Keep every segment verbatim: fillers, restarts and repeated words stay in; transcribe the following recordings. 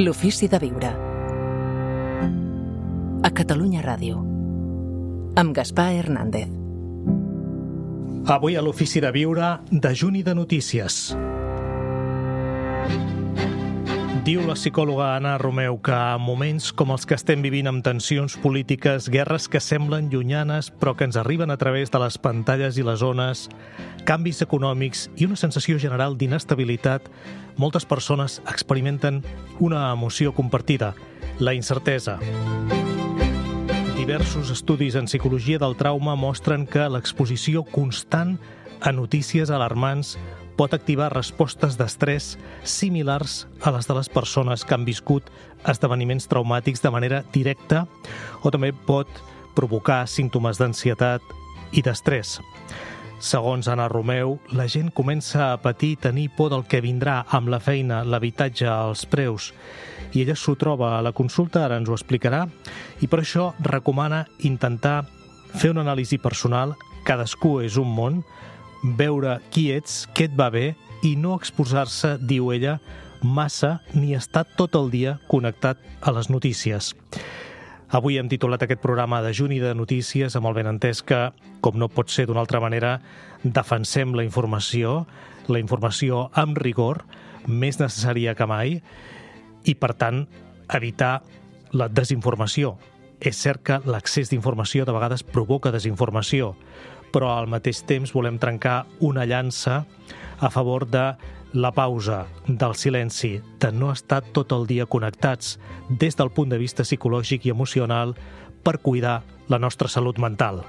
L'ofici de viure. A Catalunya Ràdio. Amb Gaspar Hernández. Avui a l'ofici de viure, dejuni de notícies. Diu la psicòloga Anna Romeu que en moments com els que estem vivint amb tensions polítiques, guerres que semblen llunyanes però que ens arriben a través de les pantalles i les ones, canvis econòmics i una sensació general d'inestabilitat, moltes persones experimenten una emoció compartida, la incertesa. Diversos estudis en psicologia del trauma mostren que l'exposició constant a notícies alarmants pot activar respostes d'estrès similars a les de les persones que han viscut esdeveniments traumàtics de manera directa o també pot provocar símptomes d'ansietat i d'estrès. Segons Anna Romeu, la gent comença a patir i tenir por del que vindrà amb la feina, l'habitatge, els preus. I ella s'ho troba a la consulta, ara ens ho explicarà, i per això recomana intentar fer una anàlisi personal, cadascú és un món, veure qui ets, què et va bé i no exposar-se, diu ella, massa ni estar tot el dia connectat a les notícies. Avui hem titulat aquest programa Dejuni de notícies amb el benentès que, com no pot ser d'una altra manera, defensem la informació, la informació amb rigor, més necessària que mai, i, per tant, evitar la desinformació. És cert que l'accés d'informació de vegades provoca desinformació, però al mateix temps volem trencar una llança a favor de la pausa, del silenci, de no estar tot el dia connectats des del punt de vista psicològic i emocional per cuidar la nostra salut mental.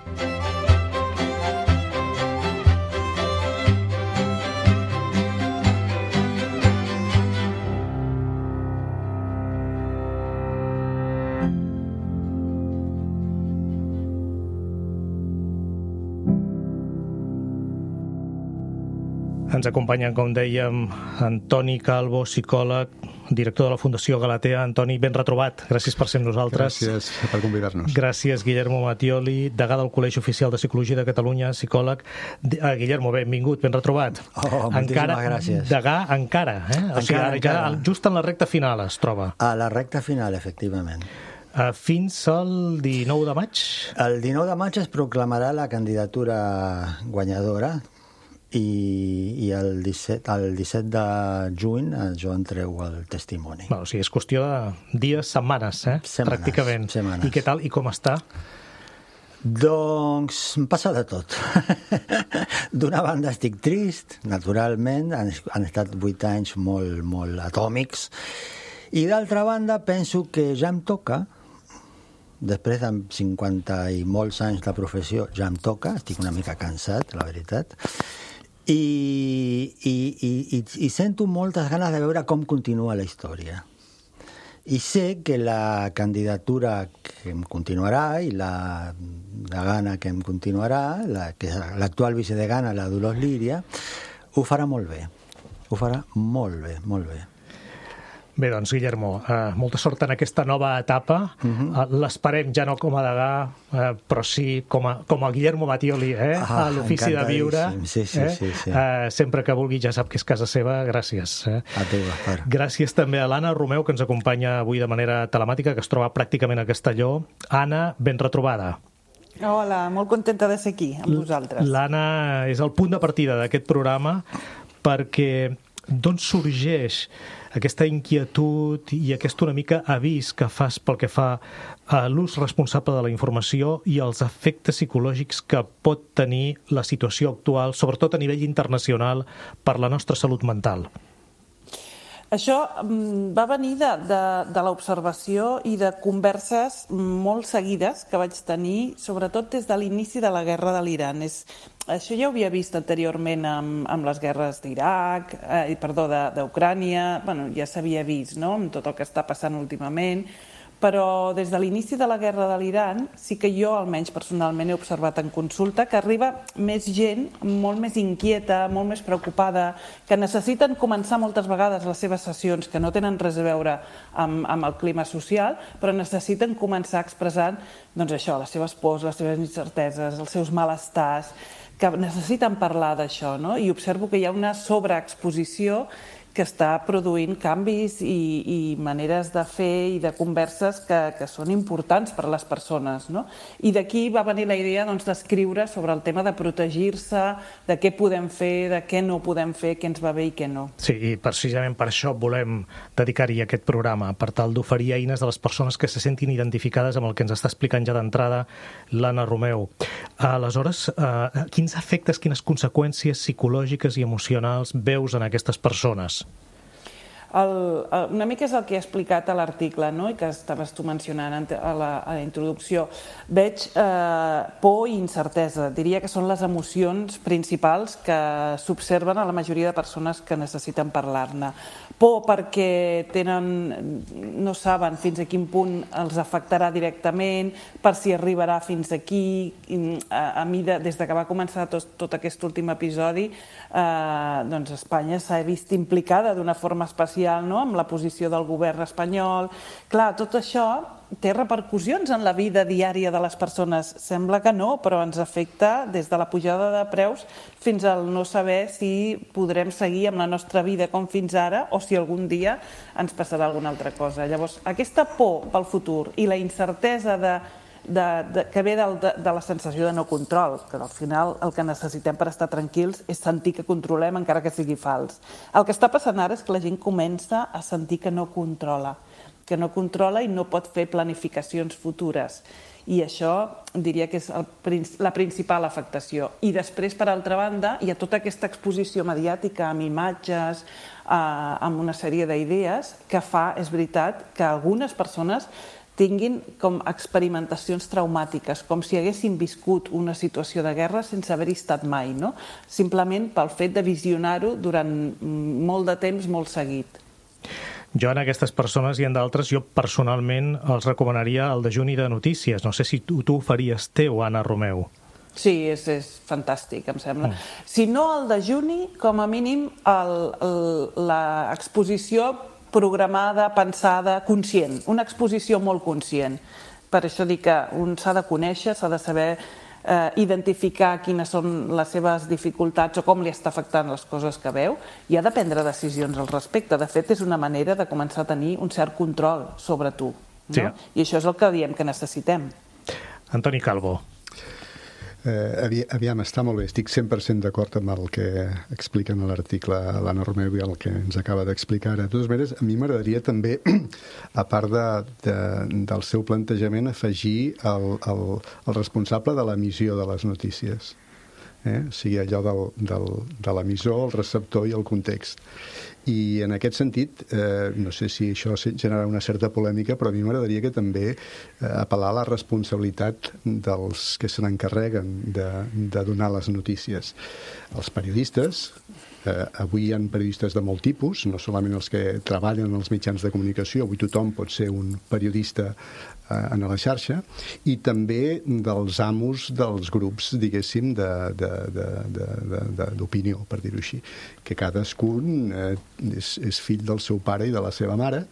Ens acompanyen, com dèiem, Antoni Calvo, psicòleg, director de la Fundació Galatea. Antoni, ben retrobat. Gràcies per ser amb nosaltres. Gràcies per convidar-nos. Gràcies, Guillermo Mattioli, degà del Col·legi Oficial de Psicologia de Catalunya, psicòleg. Uh, Guillermo, benvingut, ben retrobat. Oh, moltíssimes gràcies. Degà encara, eh? Encara, o sigui, ara, encara. Ja, just en la recta final es troba. A la recta final, efectivament. Uh, fins al dinou de maig? El dinou de maig es proclamarà la candidatura guanyadora i, i el, disset, el disset de juny jo entrego el testimoni. Bueno, o sigui, és qüestió de dies, setmanes, eh? Setmanes, pràcticament. setmanes. I què tal? I com està? Doncs em passa de tot. D'una banda estic trist, naturalment, han, han estat vuit anys molt, molt atòmics, i d'altra banda penso que ja em toca, després de cinquanta i molts anys de professió, ja em toca, estic una mica cansat, la veritat, i, i, i, i sento moltes ganes de veure com continua la història. I sé que la candidatura que em continuarà i la degana que em continuarà, la, que és l'actual vicedegana, la Dolors Líria, ho farà molt bé. Ho farà molt bé, molt bé. Bé, doncs, Guillermo, eh, molta sort en aquesta nova etapa. Uh-huh. eh, L'esperem ja no com a degà, eh, però sí com a, com a Guillermo Mattioli, eh, ah, a l'ofici de viure. Sí, sí, eh? sí, sí. Eh, sempre que vulgui ja sap que és casa seva. Gràcies. Eh? A tu, Gaspar. Gràcies també a l'Anna Romeu, que ens acompanya avui de manera telemàtica, que es troba pràcticament a Castelló. Anna, ben retrobada. Hola, molt contenta de ser aquí amb vosaltres. L'Anna és el punt de partida d'aquest programa perquè d'on sorgeix aquesta inquietud i aquest una mica avís que fas pel que fa a l'ús responsable de la informació i els efectes psicològics que pot tenir la situació actual, sobretot a nivell internacional, per la nostra salut mental? Això va venir de, de, de l'observació i de converses molt seguides que vaig tenir, sobretot des de l'inici de la guerra de l'Iran. És, això ja ho havia vist anteriorment amb, amb les guerres d'Iraq, eh, perdó, d'Ucrània, bueno, ja s'havia vist, no?, amb tot el que està passant últimament, però des de l'inici de la guerra de l'Iran sí que jo, almenys personalment, he observat en consulta que arriba més gent molt més inquieta, molt més preocupada, que necessiten començar moltes vegades les seves sessions, que no tenen res a veure amb, amb el clima social, però necessiten començar expressant doncs això, les seves pors, les seves incerteses, els seus malestars, que necessiten parlar d'això, no? I observo que hi ha una sobreexposició que està produint canvis i, i maneres de fer i de converses que, que són importants per a les persones, no? I d'aquí va venir la idea doncs, d'escriure sobre el tema de protegir-se, de què podem fer, de què no podem fer, què ens va bé i què no. Sí, i precisament per això volem dedicar-hi aquest programa, per tal d'oferir eines a les persones que se sentin identificades amb el que ens està explicant ja d'entrada l'Anna Romeu. Aleshores, eh, quins efectes, quines conseqüències psicològiques i emocionals veus en aquestes persones? El, una mica és el que he explicat a l'article, no? I que estaves tu mencionant a la, a la introducció. Veig eh, por i incertesa. Diria que són les emocions principals que s'observen a la majoria de persones que necessiten parlar-ne. Por perquè tenen, no saben fins a quin punt els afectarà directament, per si arribarà fins aquí. A, a mi, de, des de que va començar tot, tot aquest últim episodi, eh, doncs Espanya s'ha vist implicada d'una forma especial, no? Amb la posició del govern espanyol. Clar, tot això té repercussions en la vida diària de les persones. Sembla que no, però ens afecta des de la pujada de preus fins al no saber si podrem seguir amb la nostra vida com fins ara o si algun dia ens passarà alguna altra cosa. Llavors, aquesta por pel futur i la incertesa de De, de, que ve del, de, de la sensació de no control, que al final el que necessitem per estar tranquils és sentir que controlem encara que sigui fals. El que està passant ara és que la gent comença a sentir que no controla, que no controla i no pot fer planificacions futures. I això diria que és el, la principal afectació. I després, per altra banda, hi ha tota aquesta exposició mediàtica amb imatges, eh, amb una sèrie d'idees que fa, és veritat, que algunes persones tinguin com experimentacions traumàtiques, com si haguessin viscut una situació de guerra sense haver-hi estat mai, no? Simplement pel fet de visionar-ho durant molt de temps, molt seguit. Jo en aquestes persones i en d'altres, jo personalment els recomanaria el dejuni de notícies. No sé si tu, tu ho faries teu, Anna Romeu. Sí, és, és fantàstic, em sembla. Mm. Si no el dejuni, com a mínim l'exposició programada, pensada, conscient, una exposició molt conscient. Per això dic que un s'ha de conèixer, s'ha de saber eh, identificar quines són les seves dificultats o com li està afectant les coses que veu i ha de prendre decisions al respecte. De fet, és una manera de començar a tenir un cert control sobre tu. No? Sí. I això és el que diem que necessitem. Antoni Calvo. Eh, aviam, està molt bé, estic cent per cent d'acord amb el que expliquen a l'article l'Anna Romeu i el que ens acaba d'explicar ara. De totes maneres, a mi m'agradaria també, a part de, de, del seu plantejament, afegir el, el, el responsable de l'emissió de les notícies. Eh? O sigui, allò del, del, de l'emissor, el receptor i el context. I en aquest sentit, eh, no sé si això genera una certa polèmica, però a mi m'agradaria que també eh, apel·lar a la responsabilitat dels que se n'encarreguen de, de donar les notícies. Els periodistes, eh, avui hi ha periodistes de molt tipus, no solament els que treballen en els mitjans de comunicació, avui tothom pot ser un periodista en la xarxa, i també dels amos dels grups, diguéssim, d'opinió, per dir-ho així, que cadascun eh, és, és fill del seu pare i de la seva mare,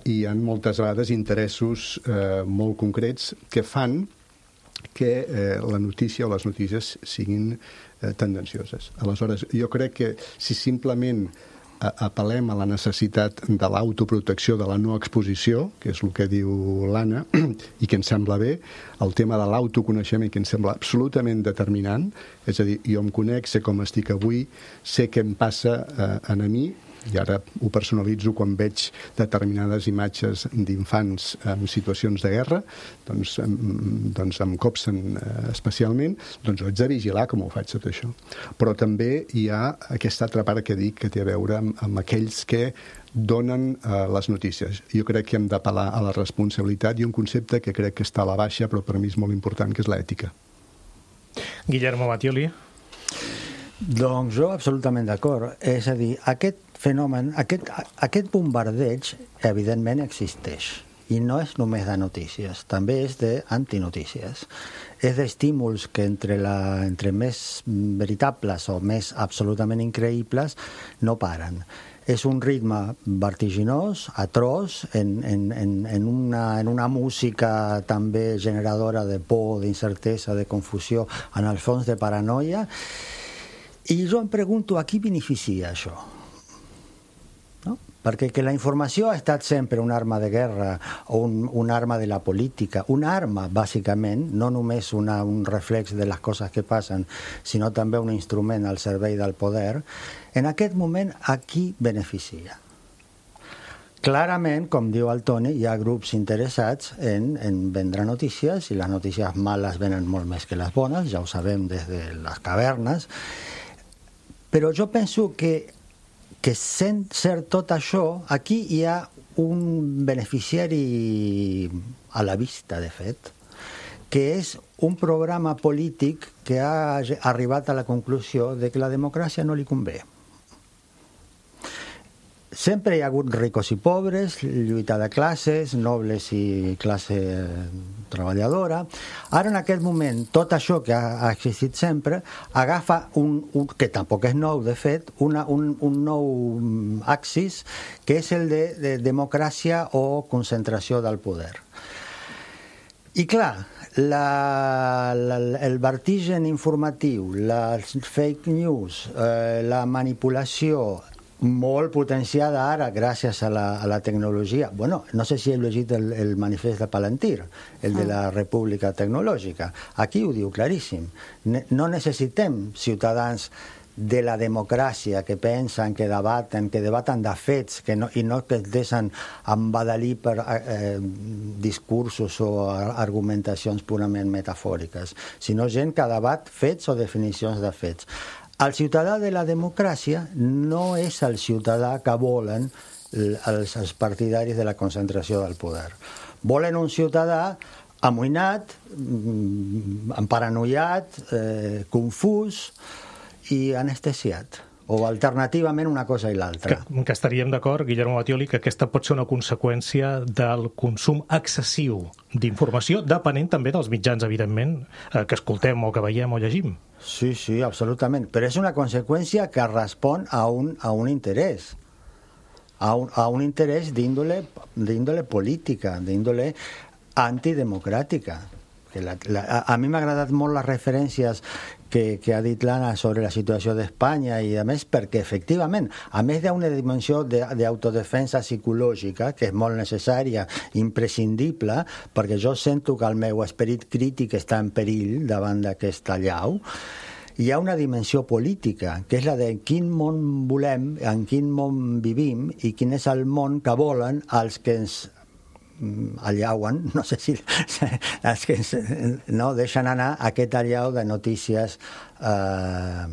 i hi ha moltes vegades interessos eh, molt concrets que fan que eh, la notícia o les notícies siguin eh, tendencioses. Aleshores, jo crec que si simplement apel·lem a la necessitat de l'autoprotecció, de la no exposició, que és el que diu l'Anna, i que ens sembla bé, el tema de l'autoconeixement, que ens sembla absolutament determinant, és a dir, jo em conec, sé com estic avui, sé què em passa eh, a mi, i ara ho personalitzo quan veig determinades imatges d'infants en situacions de guerra, doncs, doncs em copsen especialment, doncs ho haig de vigilar com ho faig tot això. Però també hi ha aquesta altra part que dic que té a veure amb, amb aquells que donen eh, les notícies. Jo crec que hem d'apel·lar a la responsabilitat i un concepte que crec que està a la baixa, però per mi és molt important, que és l'ètica. Guillermo Battioli. Doncs jo absolutament d'acord. És a dir, aquest fenomen, aquest, aquest bombardeig evidentment existeix i no és només de notícies, també és d'antinotícies. És d'estímuls que entre, la, entre més veritables o més absolutament increïbles no paren. És un ritme vertiginós, atroç, en, en, en, en, una, en una música també generadora de por, d'incertesa, de confusió, en el fons de paranoia. I jo em pregunto, a qui beneficia això? perquè que la informació ha estat sempre una arma de guerra o un, una arma de la política, una arma, bàsicament, no només una, un reflex de les coses que passen, sinó també un instrument al servei del poder, en aquest moment a qui beneficia? Clarament, com diu el Toni, hi ha grups interessats en, en vendre notícies, i les notícies males venen molt més que les bones, ja ho sabem des de les cavernes, però jo penso que, que sent cert tot això, aquí hi ha un beneficiari a la vista, de fet, que és un programa polític que ha arribat a la conclusió de que la democràcia no li convé. Sempre hi ha hagut ricos i pobres, lluita de classes, nobles i classe treballadora. Ara, en aquest moment, tot això que ha, ha existit sempre agafa un, un, que tampoc és nou, de fet, una, un, un nou axis, que és el de, de democràcia o concentració del poder. I clar, la, la, el vertigen informatiu, les fake news, eh, la manipulació, molt potenciada ara gràcies a la, a la tecnologia. Bueno, no sé si heu llegit el, el manifest de Palantir, el de la República Tecnològica. Aquí ho diu claríssim. Ne, no necessitem ciutadans de la democràcia que pensen, que debaten, que debaten de fets, que no, i no que es deixen embadalir per eh, discursos o argumentacions purament metafòriques, sinó gent que debat fets o definicions de fets. El ciutadà de la democràcia no és el ciutadà que volen els, els partidaris de la concentració del poder. Volen un ciutadà amoïnat, emparanoiat, eh, confús i anestesiat. O alternativament una cosa i l'altra. Que, que estaríem d'acord, Guillermo Battioli, que aquesta pot ser una conseqüència del consum excessiu d'informació, depenent també dels mitjans, evidentment, eh, que escoltem o que veiem o llegim. Sí, sí, absolutament. Però és una conseqüència que respon a un, a un interès. A un, a un interès d'índole d'índole política, d'índole antidemocràtica. Que la, la, a, a mi m'ha agradat molt les referències que, que ha dit l'Anna sobre la situació d'Espanya i a més perquè efectivament, a més d'una dimensió d'autodefensa psicològica que és molt necessària, imprescindible, perquè jo sento que el meu esperit crític està en perill davant d'aquesta allau, hi ha una dimensió política, que és la de quin món volem, en quin món vivim i quin és el món que volen els que ens allauen, no sé si els que no, deixen anar aquest allau de notícies eh,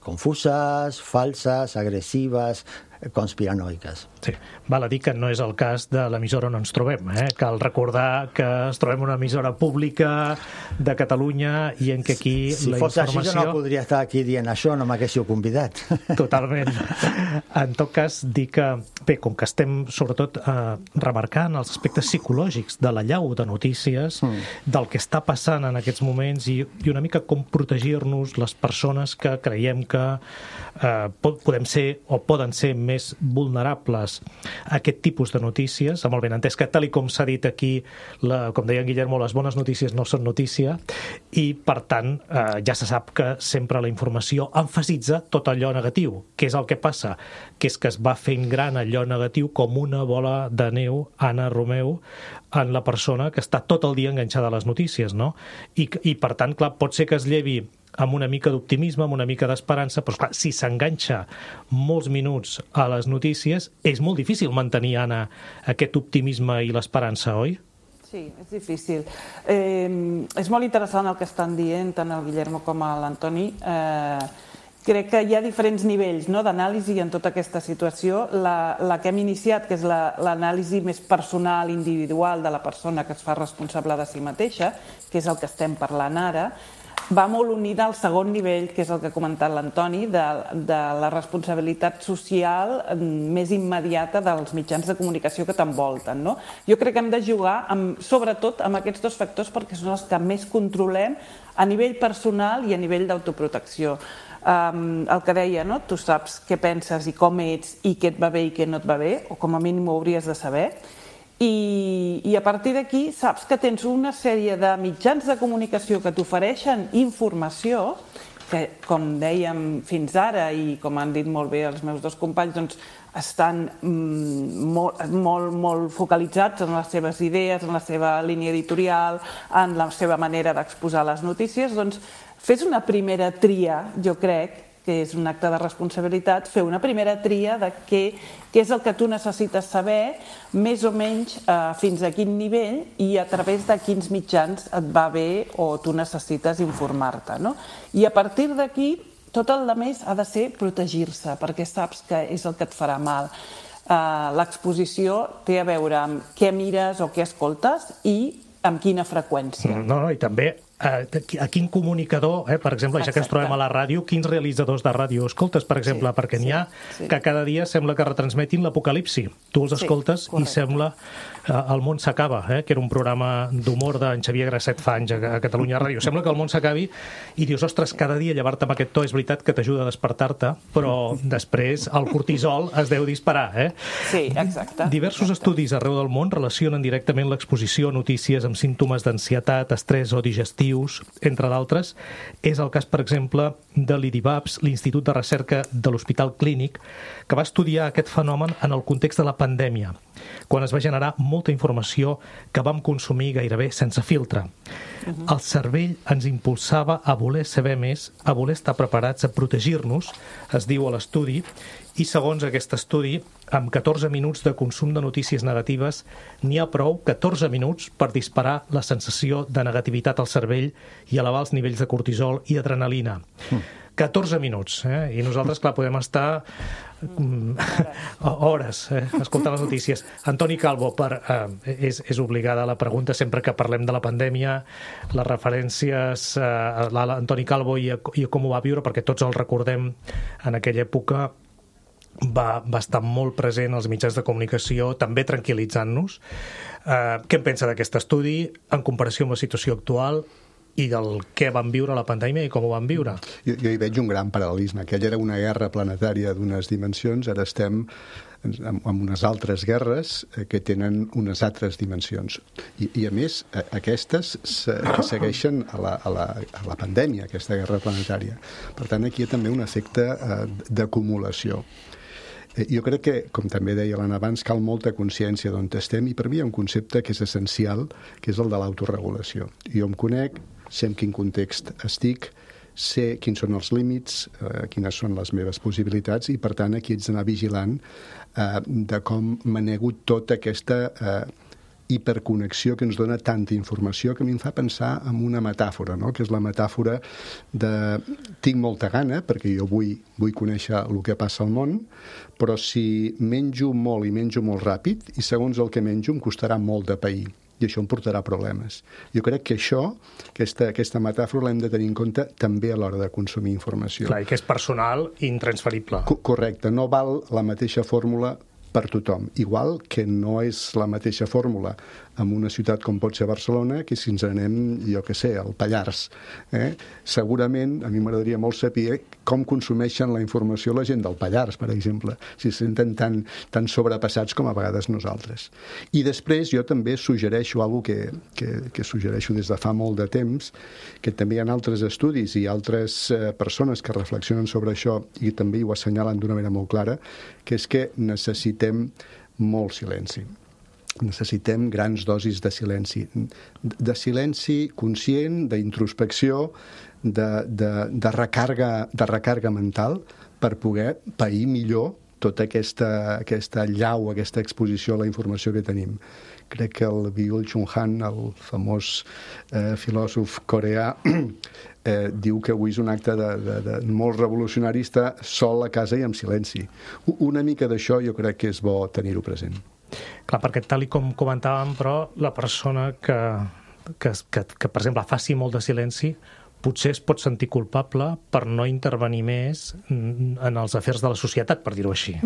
confuses, falses, agressives, conspiranoiques. Sí, val a dir que no és el cas de l'emissora on ens trobem, eh? Cal recordar que ens trobem una emissora pública de Catalunya i en què aquí si la fos informació... així jo no podria estar aquí dient això, no m'haguéssiu convidat. Totalment. En tot cas, dir que, bé, com que estem sobretot eh, remarcant els aspectes psicològics de l'allau de notícies, mm. del que està passant en aquests moments i, i una mica com protegir-nos les persones que creiem que eh, podem ser o poden ser més vulnerables a aquest tipus de notícies, amb el benentès que, tal i com s'ha dit aquí, la, com deia en Guillermo, les bones notícies no són notícia, i per tant eh, ja se sap que sempre la informació emfasitza tot allò negatiu. Què és el que passa? Que és que es va fent gran allò negatiu com una bola de neu, Anna Romeu, en la persona que està tot el dia enganxada a les notícies, no? I, i per tant, clar, pot ser que es llevi amb una mica d'optimisme, amb una mica d'esperança, però clar, si s'enganxa molts minuts a les notícies, és molt difícil mantenir, Anna, aquest optimisme i l'esperança, oi? Sí, és difícil. Eh, és molt interessant el que estan dient tant el Guillermo com l'Antoni. Eh, crec que hi ha diferents nivells, no?, d'anàlisi en tota aquesta situació. La, la que hem iniciat, que és l'anàlisi més personal, individual de la persona que es fa responsable de si mateixa, que és el que estem parlant ara, va molt unida al segon nivell, que és el que ha comentat l'Antoni, de, de la responsabilitat social més immediata dels mitjans de comunicació que t'envolten, no? Jo crec que hem de jugar, amb, sobretot, amb aquests dos factors perquè són els que més controlem a nivell personal i a nivell d'autoprotecció. Um, el que deia, no? Tu saps què penses i com ets i què et va bé i què no et va bé, o com a mínim ho hauries de saber. I, i a partir d'aquí saps que tens una sèrie de mitjans de comunicació que t'ofereixen informació que, com dèiem fins ara i com han dit molt bé els meus dos companys, doncs, estan mm, molt, molt, molt focalitzats en les seves idees, en la seva línia editorial, en la seva manera d'exposar les notícies, doncs fes una primera tria, jo crec, que és un acte de responsabilitat, fer una primera tria de què, què és el que tu necessites saber, més o menys eh, fins a quin nivell i a través de quins mitjans et va bé o tu necessites informar-te, no? I a partir d'aquí, tot el més ha de ser protegir-se, perquè saps que és el que et farà mal. Uh, l'exposició té a veure amb què mires o què escoltes i amb quina freqüència. No, no, i també a quin comunicador, eh, per exemple, ja que ens trobem a la ràdio, quins realitzadors de ràdio escoltes, per exemple, sí, perquè n'hi ha sí, sí. que cada dia sembla que retransmetin l'apocalipsi. Tu els escoltes sí, i sembla eh, el món s'acaba, eh, que era un programa d'humor d'en Xavier Grasset fa anys a, a Catalunya Ràdio. Sembla que el món s'acabi i dius, ostres, cada dia llevar-te amb aquest to és veritat que t'ajuda a despertar-te, però després el cortisol es deu disparar, eh? Sí, exacte. Diversos exacte. estudis arreu del món relacionen directament l'exposició a notícies amb símptomes d'ansietat, estrès o digestiu, entre d'altres. És el cas, per exemple, de l'I D I B A B S, l'Institut de Recerca de l'Hospital Clínic, que va estudiar aquest fenomen en el context de la pandèmia, quan es va generar molta informació que vam consumir gairebé sense filtre. Uh-huh. El cervell ens impulsava a voler saber més, a voler estar preparats, a protegir-nos, es diu a l'estudi, i segons aquest estudi, amb catorze minuts de consum de notícies negatives, n'hi ha prou, catorze minuts, per disparar la sensació de negativitat al cervell i elevar els nivells de cortisol i adrenalina. Mm. catorze minuts, eh? I nosaltres, clar, podem estar mm, hores eh? escoltant les notícies. Antoni Calvo, per, eh, és, és obligada la pregunta sempre que parlem de la pandèmia, les referències eh, a l'Antoni Calvo i a, i a com ho va viure, perquè tots el recordem en aquella època. Va, va estar molt present als mitjans de comunicació, també tranquil·litzant-nos. Eh, què en pensa d'aquest estudi en comparació amb la situació actual i del què van viure a la pandèmia i com ho van viure? Jo, jo hi veig un gran paral·lelisme. Aquella era una guerra planetària d'unes dimensions, ara estem amb unes altres guerres que tenen unes altres dimensions. I, i a més, aquestes segueixen a la, a, la, a la pandèmia, aquesta guerra planetària. Per tant, aquí hi ha també un efecte d'acumulació. Jo crec que, com també deia l'Anna abans, cal molta consciència d'on estem i per mi hi ha un concepte que és essencial, que és el de l'autoregulació. Jo em conec, sé en quin context estic, sé quins són els límits, eh, quines són les meves possibilitats i, per tant, aquí haig d'anar vigilant eh, de com manego tota aquesta eh, hiperconnexió que ens dona tanta informació que a mi em fa pensar en una metàfora, no? Que és la metàfora de tinc molta gana, perquè jo vull, vull conèixer el que passa al món, però si menjo molt i menjo molt ràpid, i segons el que menjo em costarà molt de pair. I això em portarà problemes. Jo crec que això, aquesta, aquesta metàfora l'hem de tenir en compte també a l'hora de consumir informació. Clar, i que és personal i intransferible. Co- correcte, no val la mateixa fórmula per tothom. Igual que no és la mateixa fórmula en una ciutat com pot ser Barcelona que si ens anem, jo què sé, al Pallars. Eh? Segurament, a mi m'agradaria molt saber com consumeixen la informació la gent del Pallars, per exemple, si se senten tan, tan sobrepassats com a vegades nosaltres. I després jo també suggereixo alguna que, que, que suggereixo des de fa molt de temps, que també hi ha altres estudis i altres eh, persones que reflexionen sobre això i també ho assenyalen d'una manera molt clara, que és que necessitem molt silenci. Necessitem grans dosis de silenci. De silenci conscient, d'introspecció, de, de, de, recàrrega, de recàrrega mental per poder pair millor tota aquesta, aquesta llau, aquesta exposició a la informació que tenim. Crec que el Byung-Chul Han, el famós eh, filòsof coreà, eh, diu que avui és un acte de, de, de molt revolucionari estar sol a casa i en silenci. Una mica d'això jo crec que és bo tenir-ho present. Clar, perquè tal i com comentàvem, però la persona que, que, que, que per exemple, faci molt de silenci potser es pot sentir culpable per no intervenir més en els afers de la societat, per dir-ho així.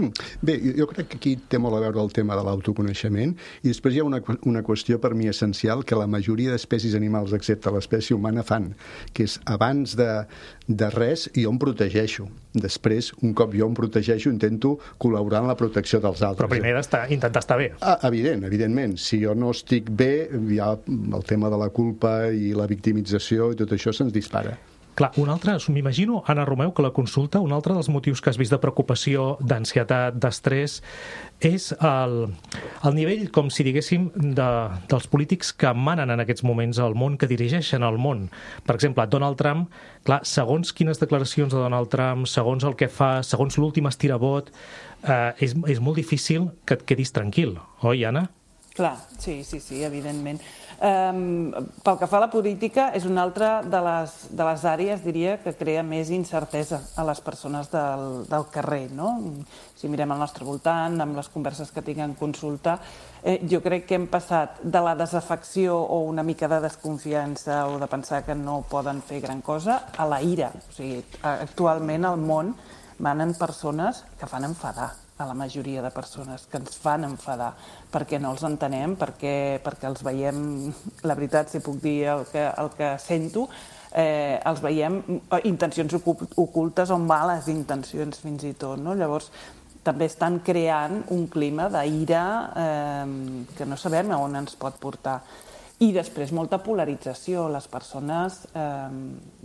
Bé, jo crec que aquí té molt a veure el tema de l'autoconeixement i després hi ha una, una qüestió per mi essencial que la majoria d'espècies animals, excepte l'espècie humana, fan, que és abans de, de res jo em protegeixo. Després, un cop jo em protegeixo, intento col·laborar en la protecció dels altres. Però primer d'estar, intentar estar bé. Ah, evident, evidentment. Si jo no estic bé, hi ha el tema de la culpa i la victimització i tot això se'ns dispara. Clar, un altre, m'imagino, Anna Romeu, que la consulta, un altre dels motius que has vist de preocupació, d'ansietat, d'estrès, és el, el nivell, com si diguéssim, de, dels polítics que manen en aquests moments al món, que dirigeixen el món. Per exemple, Donald Trump, clar, segons quines declaracions de Donald Trump, segons el que fa, segons l'últim estirabot, eh, és, és molt difícil que et quedis tranquil, oi, Anna? Clar, sí, sí, sí, evidentment. Um, pel que fa a la política, és una altra de les, de les àrees, diria, que crea més incertesa a les persones del, del carrer, no? Si mirem al nostre voltant, amb les converses que tinguem consulta, eh, jo crec que hem passat de la desafecció o una mica de desconfiança o de pensar que no poden fer gran cosa a la ira. O sigui, actualment al món manen persones que fan enfadar a la majoria de persones, que ens fan enfadar, perquè no els entenem, perquè, perquè els veiem, la veritat, si puc dir el que, el que sento, eh, els veiem intencions ocultes o males intencions fins i tot, no? Llavors, també estan creant un clima d'ira eh, que no sabem a on ens pot portar. I després molta polarització. Les persones eh,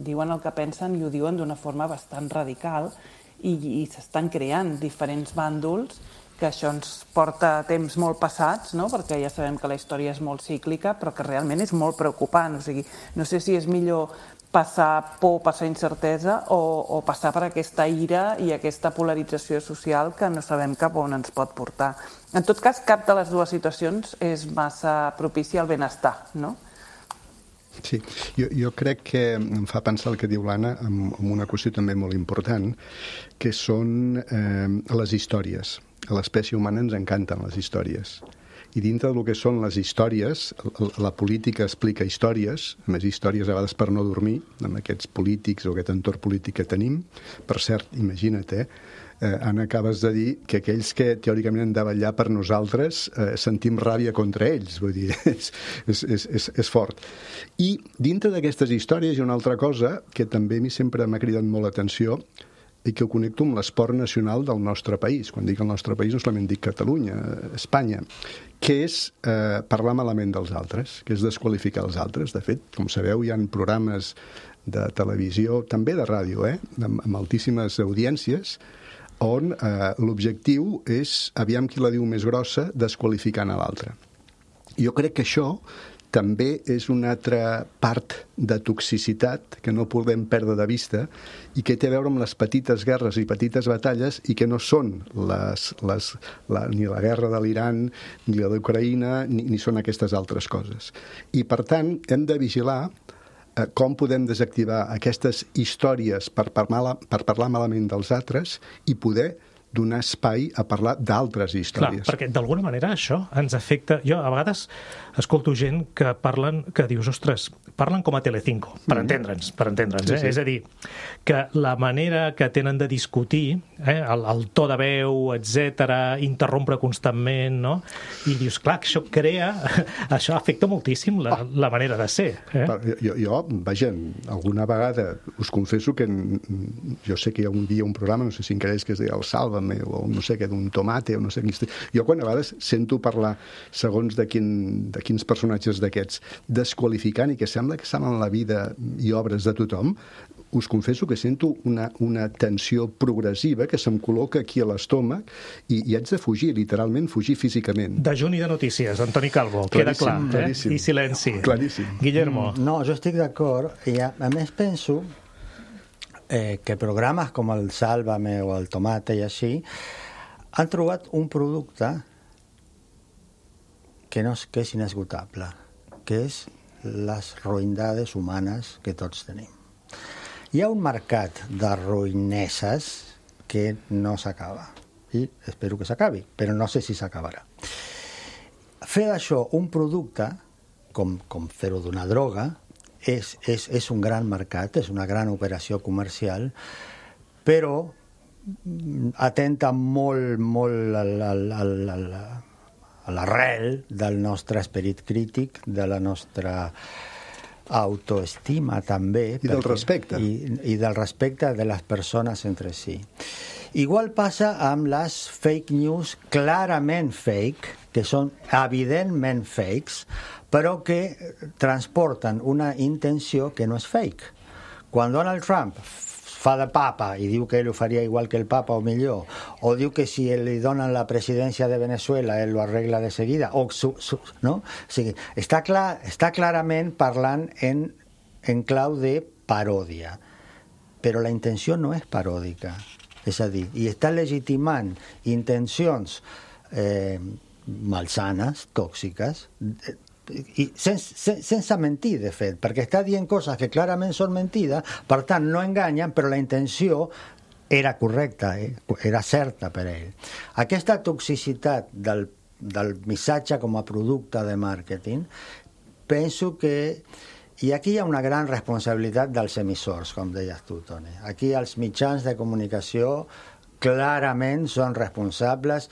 diuen el que pensen i ho diuen d'una forma bastant radical, i, i s'estan creant diferents bàndols, que això ens porta a temps molt passats, no? Perquè ja sabem que la història és molt cíclica, però que realment és molt preocupant. O sigui, no sé si és millor passar por, passar incertesa, o, o passar per aquesta ira i aquesta polarització social que no sabem cap on ens pot portar. En tot cas, cap de les dues situacions és massa propici al benestar, no? Sí, jo, jo crec que em fa pensar el que diu l'Anna amb, amb una qüestió també molt important, que són eh, les històries. A l'espècie humana ens encanten les històries. I dintre del que són les històries, la política explica històries, a més històries a vegades per no dormir, amb aquests polítics o aquest entorn polític que tenim. Per cert, imagina't, eh? Eh, Anna, acabes de dir que aquells que teòricament han de vetllar per nosaltres eh, sentim ràbia contra ells, vull dir, és, és, és, és, és fort. I dintre d'aquestes històries hi ha una altra cosa que també a mi sempre m'ha cridat molt l'atenció i que ho connecto amb l'esport nacional del nostre país. Quan dic el nostre país no solament dic Catalunya, Espanya, que és eh, parlar malament dels altres, que és desqualificar els altres. De fet, com sabeu, hi ha programes de televisió, també de ràdio, eh, amb, amb altíssimes audiències, on eh, l'objectiu és, aviam qui la diu més grossa, desqualificant a l'altre. Jo crec que això també és una altra part de toxicitat que no podem perdre de vista i que té a veure amb les petites guerres i petites batalles i que no són les, les, la, ni la guerra de l'Iran, ni la d'Ucraïna, ni, ni són aquestes altres coses. I, per tant, hem de vigilar com podem desactivar aquestes històries per parlar, per parlar malament dels altres i poder donar espai a parlar d'altres històries. Clar, perquè d'alguna manera això ens afecta. Jo a vegades escolto gent que parlen, que dius, ostres, parlen com a Telecinco, per mm. entendre'ns, per entendre'ns, eh? Sí, sí. És a dir, que la manera que tenen de discutir, eh, el, el to de veu, etcètera, interrompre constantment, no? I dius, clar, això crea, això afecta moltíssim la, oh. la manera de ser. Eh? Jo, jo, vaja, alguna vegada us confesso que jo sé que hi ha un dia un programa, no sé si encara és que es deia el Sálvame, o no sé què, d'un tomate, o no sé quin... Jo quan a vegades sento parlar segons de, quin, de quins personatges d'aquests desqualificant i que sembla que saben la vida i obres de tothom, us confesso que sento una, una tensió progressiva que se'm col·loca aquí a l'estómac i, i haig de fugir, literalment fugir físicament. Dejuni de notícies, Antoni Calvo, queda clar, eh? Claríssim. I silenci. Claríssim. Guillermo. No, jo estic d'acord, i a, a més penso eh, que programes com el Sálvame o el Tomate i així han trobat un producte que no és, que és inesgotable, que és les ruïnades humanes que tots tenim. Hi ha un mercat de ruïneses que no s'acaba, i espero que s'acabi, però no sé si s'acabarà. Fer d'això un producte, com, com fer-ho d'una droga, és, és, és un gran mercat, és una gran operació comercial, però atenta molt, molt a l'arrel del nostre esperit crític, de la nostra autoestima també. I del respecte. I, i del respecte de les persones entre si. Igual passa amb les fake news clarament fake, que són evidentment fakes, però que transporten una intenció que no és fake. quan Donald Trump fa de papa i diu que ell ho faria igual que el papa o millor, o diu que si li donen la presidència de Venezuela ell lo arregla de seguida, o su, su, no? O sigui, està, clar, està clarament parlant en, en clau de paròdia, però la intenció no és paròdica, és a dir, i està legitimant intencions eh, malsanes, tòxiques, eh, i sense, sen, sense mentir, de fet, perquè està dient coses que clarament són mentides, per tant no enganyen, però la intenció era correcta, eh? Era certa per ell. Aquesta toxicitat del, del missatge com a producte de màrqueting, penso que i aquí hi ha una gran responsabilitat dels emissors, com deies tu, Toni. Aquí els mitjans de comunicació clarament són responsables,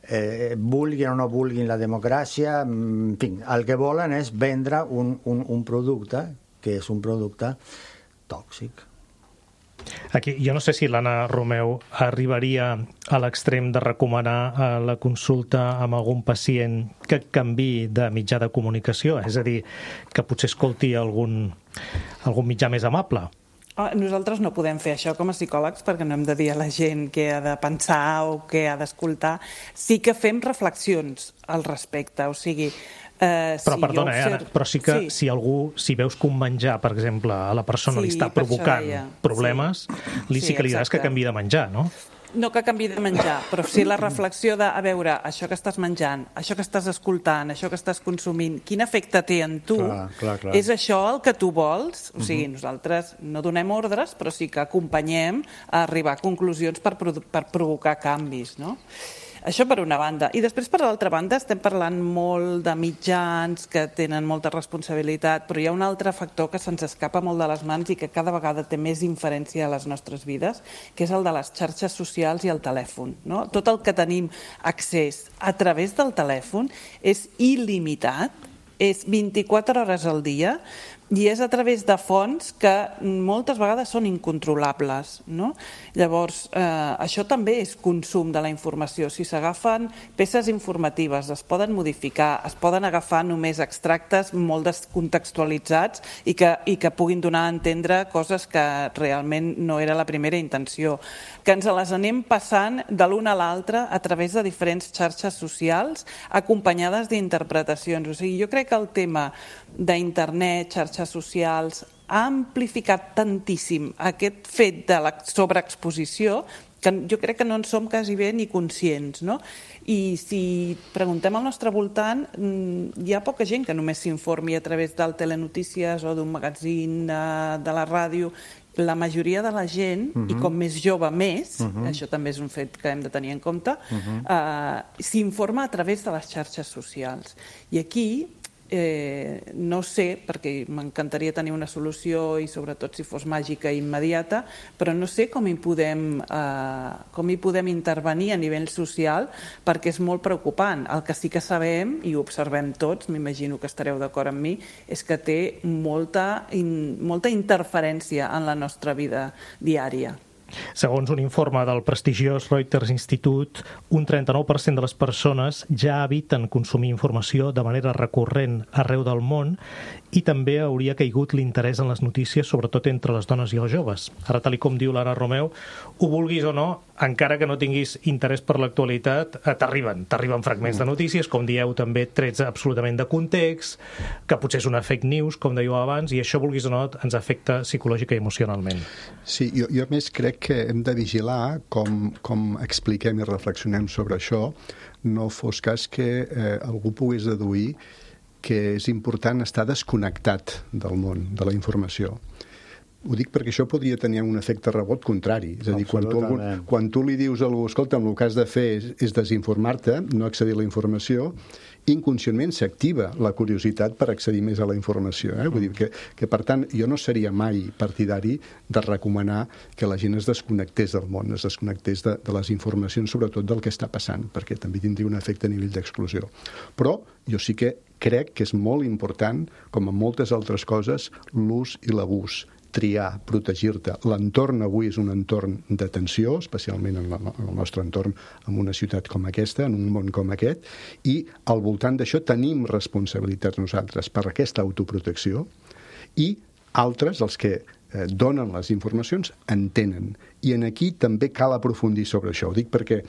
Eh, vulguin o no vulguin la democràcia, en fi, el que volen és vendre un, un, un producte que és un producte tòxic. Aquí, jo no sé si l'Anna Romeu arribaria a l'extrem de recomanar eh, la consulta amb algun pacient que canviï de mitjà de comunicació, és a dir, que potser escolti algun, algun mitjà més amable. Nosaltres no podem fer això com a psicòlegs perquè no hem de dir a la gent què ha de pensar o què ha d'escoltar. Sí que fem reflexions al respecte, o sigui... Eh, però si perdona, observ... eh, Anna, però sí que sí. si algú, si veus que un menjar, per exemple, a la persona sí, li està provocant problemes, sí. li sí, sí que li diràs que canviï de menjar, no? No que canviï de menjar, però sí la reflexió de, a veure, això que estàs menjant, això que estàs escoltant, això que estàs consumint, quin efecte té en tu? Clar, clar, clar. És això el que tu vols? O sigui, uh-huh. nosaltres no donem ordres, però sí que acompanyem a arribar a conclusions per, per provocar canvis, no? Això per una banda. I després, per l'altra banda, estem parlant molt de mitjans que tenen molta responsabilitat, però hi ha un altre factor que se'ns escapa molt de les mans i que cada vegada té més inferència a les nostres vides, que és el de les xarxes socials i el telèfon. No? Tot el que tenim accés a través del telèfon és il·limitat, és vint-i-quatre hores al dia, i és a través de fonts que moltes vegades són incontrolables, no? Llavors, eh, això també és consum de la informació. Si s'agafen peces informatives, es poden modificar, es poden agafar només extractes molt descontextualitzats i que, i que puguin donar a entendre coses que realment no era la primera intenció. Que ens les anem passant de l'una a l'altra a través de diferents xarxes socials acompanyades d'interpretacions. O sigui, jo crec que el tema d'internet, xarxes socials, ha amplificat tantíssim aquest fet de la sobreexposició que jo crec que no en som quasi bé ni conscients, no? I si preguntem al nostre voltant, hi ha poca gent que només s'informi a través del telenotícies o d'un magazín de, de la ràdio. La majoria de la gent, uh-huh. i com més jove més, uh-huh. això també és un fet que hem de tenir en compte, uh-huh. eh, s'informa a través de les xarxes socials. I aquí Eh, no sé, perquè m'encantaria tenir una solució i sobretot si fos màgica i immediata, però no sé com hi podem, eh, com hi podem intervenir a nivell social perquè és molt preocupant. El que sí que sabem, i ho observem tots, m'imagino que estareu d'acord amb mi, és que té molta, in, molta interferència en la nostra vida diària. Segons un informe del prestigiós Reuters Institute, un trenta-nou per cent de les persones ja eviten consumir informació de manera recurrent arreu del món i també hauria caigut l'interès en les notícies, sobretot entre les dones i els joves. Ara, tal com diu l'Anna Romeu, ho vulguis o no, encara que no tinguis interès per l'actualitat, t'arriben, t'arriben fragments de notícies, com dieu també, trets absolutament de context, que potser és una fake news, com dèieu abans, i això, vulguis o no, ens afecta psicològica i emocionalment. Sí, jo, jo més crec que hem de vigilar com, com expliquem i reflexionem sobre això, no fos cas que eh, algú pogués deduir que és important estar desconnectat del món, de la informació. Ho dic perquè això podria tenir un efecte rebot contrari. És a dir, quan tu, algun, quan tu li dius a algú, escolta, el que has de fer és, és desinformar-te, no accedir a la informació, inconscientment s'activa la curiositat per accedir més a la informació. Eh? Vull dir que, que, per tant, jo no seria mai partidari de recomanar que la gent es desconnectés del món, es desconnectés de, de les informacions, sobretot del que està passant, perquè també tindria un efecte a nivell d'exclusió. Però jo sí que crec que és molt important, com en moltes altres coses, l'ús i l'abús. Triar, protegir-te. L'entorn avui és un entorn de tensió, especialment en, la, en el nostre entorn, en una ciutat com aquesta, en un món com aquest, i al voltant d'això tenim responsabilitats nosaltres per aquesta autoprotecció i altres, els que eh, donen les informacions entenen. I en aquí també cal aprofundir sobre això. Ho dic perquè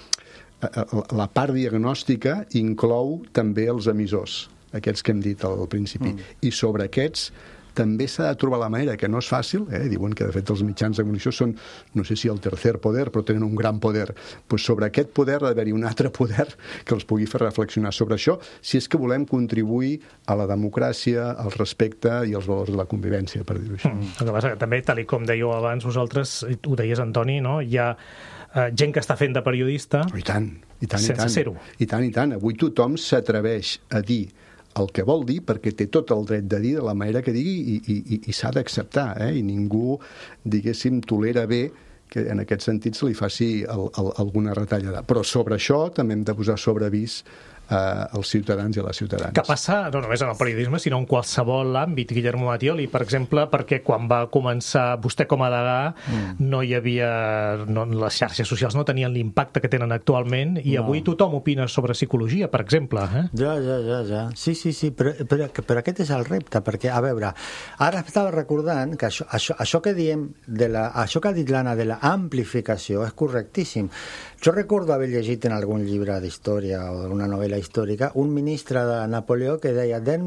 la part diagnòstica inclou també els emissors, aquests que hem dit al principi. Mm. I sobre aquests també s'ha de trobar la manera, que no és fàcil, eh? Diuen que de fet els mitjans de comunicació són, no sé si el tercer poder, però tenen un gran poder. Pues sobre aquest poder ha d'haver-hi un altre poder que els pugui fer reflexionar sobre això, si és que volem contribuir a la democràcia, al respecte i als valors de la convivència, per dir-ho així. Mm. El que passa que també, tal com dèieu abans vosaltres, ho deies, Antoni, no? Hi ha uh, gent que està fent de periodista I tant, i tant, sense i tant. ser-ho. I tant, i tant. Avui tothom s'atreveix a dir el que vol dir, perquè té tot el dret de dir de la manera que digui i, i, i s'ha d'acceptar, eh? I ningú, diguéssim, tolera bé que en aquest sentit se li faci el, el, alguna retallada. Però sobre això també hem de posar sobre avís eh, als ciutadans i a les ciutadanes. Que passa no només en el periodisme, sinó en qualsevol àmbit, Guillermo Mattioli, per exemple, perquè quan va començar vostè com a degà mm. no hi havia... No, les xarxes socials no tenien l'impacte que tenen actualment i no. Avui tothom opina sobre psicologia, per exemple. Eh? Ja, ja, ja, ja. Sí, sí, sí, però, però, però aquest és el repte, perquè, a veure, ara estava recordant que això, això, això que diem, de la, això que ha dit l'Anna de la amplificació és correctíssim. Jo recordo haver llegit en algun llibre d'història o d'una novel·la històrica un ministre de Napoleó que deia de,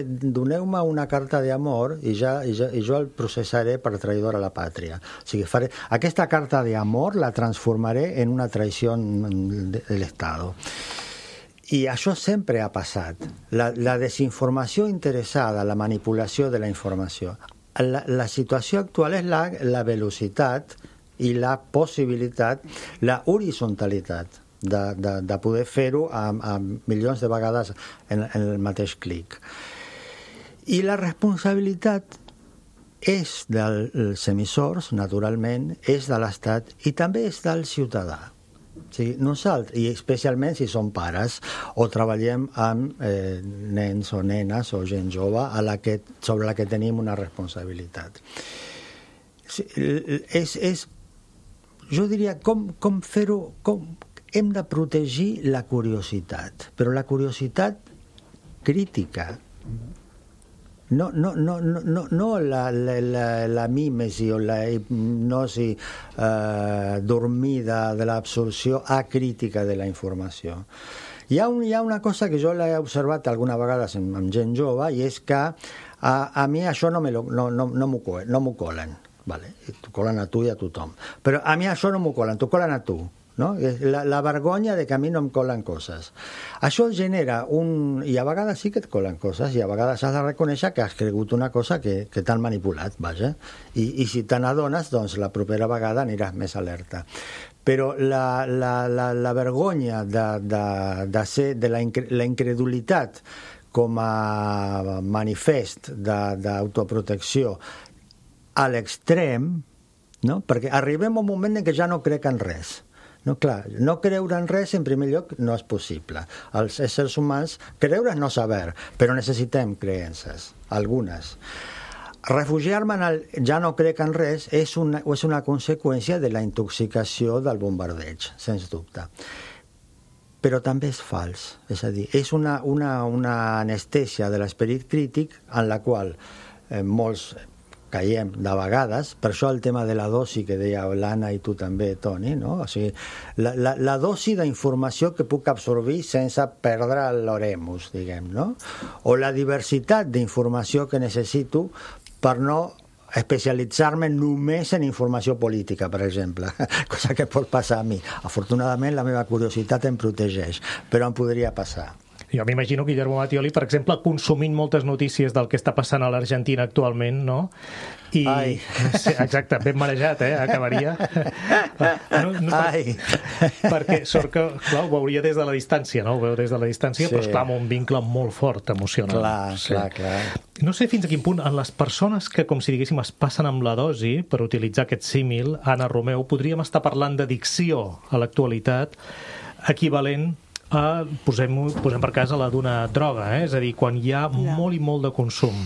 doneu-me una carta d'amor i, ja, i, ja, i jo el processaré per traïdor a la pàtria. O sigui, faré, aquesta carta d'amor la transformaré en una traïció de, de l'Estat. I això sempre ha passat. La, la desinformació interessada, la manipulació de la informació. La, la situació actual és la, la velocitat i la possibilitat, la horizontalitat de, de, de poder fer-ho a, a milions de vegades en, en el mateix clic. I la responsabilitat és dels emissors, naturalment, és de l'Estat i també és del ciutadà. O sigui, nosaltres, i especialment si som pares o treballem amb eh, nens o nenes o gent jove a la que, sobre la que tenim una responsabilitat. És, és jo diria, com, com fer-ho... Com, hem de protegir la curiositat, però la curiositat crítica. No, no, no, no, no la, la, la, la mímesi o la hipnosi eh, dormida de l'absorció acrítica de la informació. Hi ha, un, hi ha una cosa que jo l'he observat alguna vegada amb, amb gent jove i és que a, a mi això no m'ho no, no, no no colen. Vale, t'ho colen a tu i a tothom. Però a mi això no m'ho colen, t'ho colen a tu. No? La, la vergonya de que a mi no em colen coses. Això genera un... I a vegades sí que et colen coses i a vegades has de reconèixer que has cregut una cosa que, que t'han manipulat, vaja. I, i si te n'adones, doncs la propera vegada aniràs més alerta. Però la, la, la, la vergonya de, de, de, ser, de la, incre, la incredulitat com a manifest d'autoprotecció a l'extrem, no? Perquè arribem a un moment en què ja no crec en res. No, clar, no creure en res, en primer lloc, no és possible. Els éssers humans, creure és no saber, però necessitem creences, algunes. Refugiar-me en el ja no crec en res és una, és una conseqüència de la intoxicació del bombardeig, sens dubte. Però també és fals, és a dir, és una, una, una anestèsia de l'esperit crític en la qual eh, molts caiem de vegades, per això el tema de la dosi que deia l'Anna i tu també, Toni, no? O sigui, la, la, la dosi d'informació que puc absorbir sense perdre l'oremus, diguem, no? O la diversitat d'informació que necessito per no especialitzar-me només en informació política, per exemple, cosa que pot passar a mi. Afortunadament la meva curiositat em protegeix, però em podria passar. Jo m'imagino Guillermo Mattioli, per exemple, consumint moltes notícies del que està passant a l'Argentina actualment, no? I... Ai. Sí, exacte, ben marejat, eh? Acabaria. No, no, per... Ai. Perquè sort que, clar, ho veuria des de la distància, no? Ho veu des de la distància, sí. Però esclar, amb un vincle molt fort, emocional. Clar, sí. clar, clar. No sé fins a quin punt, en les persones que, com si diguéssim, es passen amb la dosi, per utilitzar aquest símil, Anna Romeu, podríem estar parlant d'addicció a l'actualitat, equivalent a, posem, posem per cas a la d'una droga, eh? És a dir, quan hi ha ja. molt i molt de consum.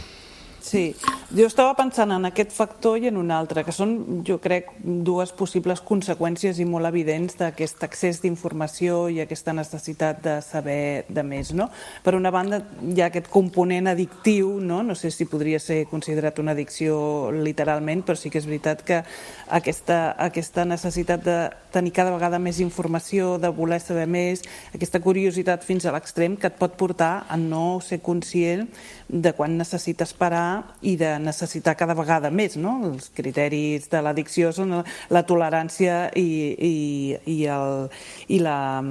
Sí, Jo estava pensant en aquest factor i en un altre, que són, jo crec, dues possibles conseqüències i molt evidents d'aquest accés d'informació i aquesta necessitat de saber de més, no? Per una banda, hi ha aquest component addictiu, no? No sé si podria ser considerat una addicció literalment, però sí que és veritat que aquesta, aquesta necessitat de tenir cada vegada més informació, de voler saber més, aquesta curiositat fins a l'extrem que et pot portar a no ser conscient de quan necessites parar i de necessitar cada vegada més, no? Els criteris de l'addicció són la tolerància i, i, i, el, i, la,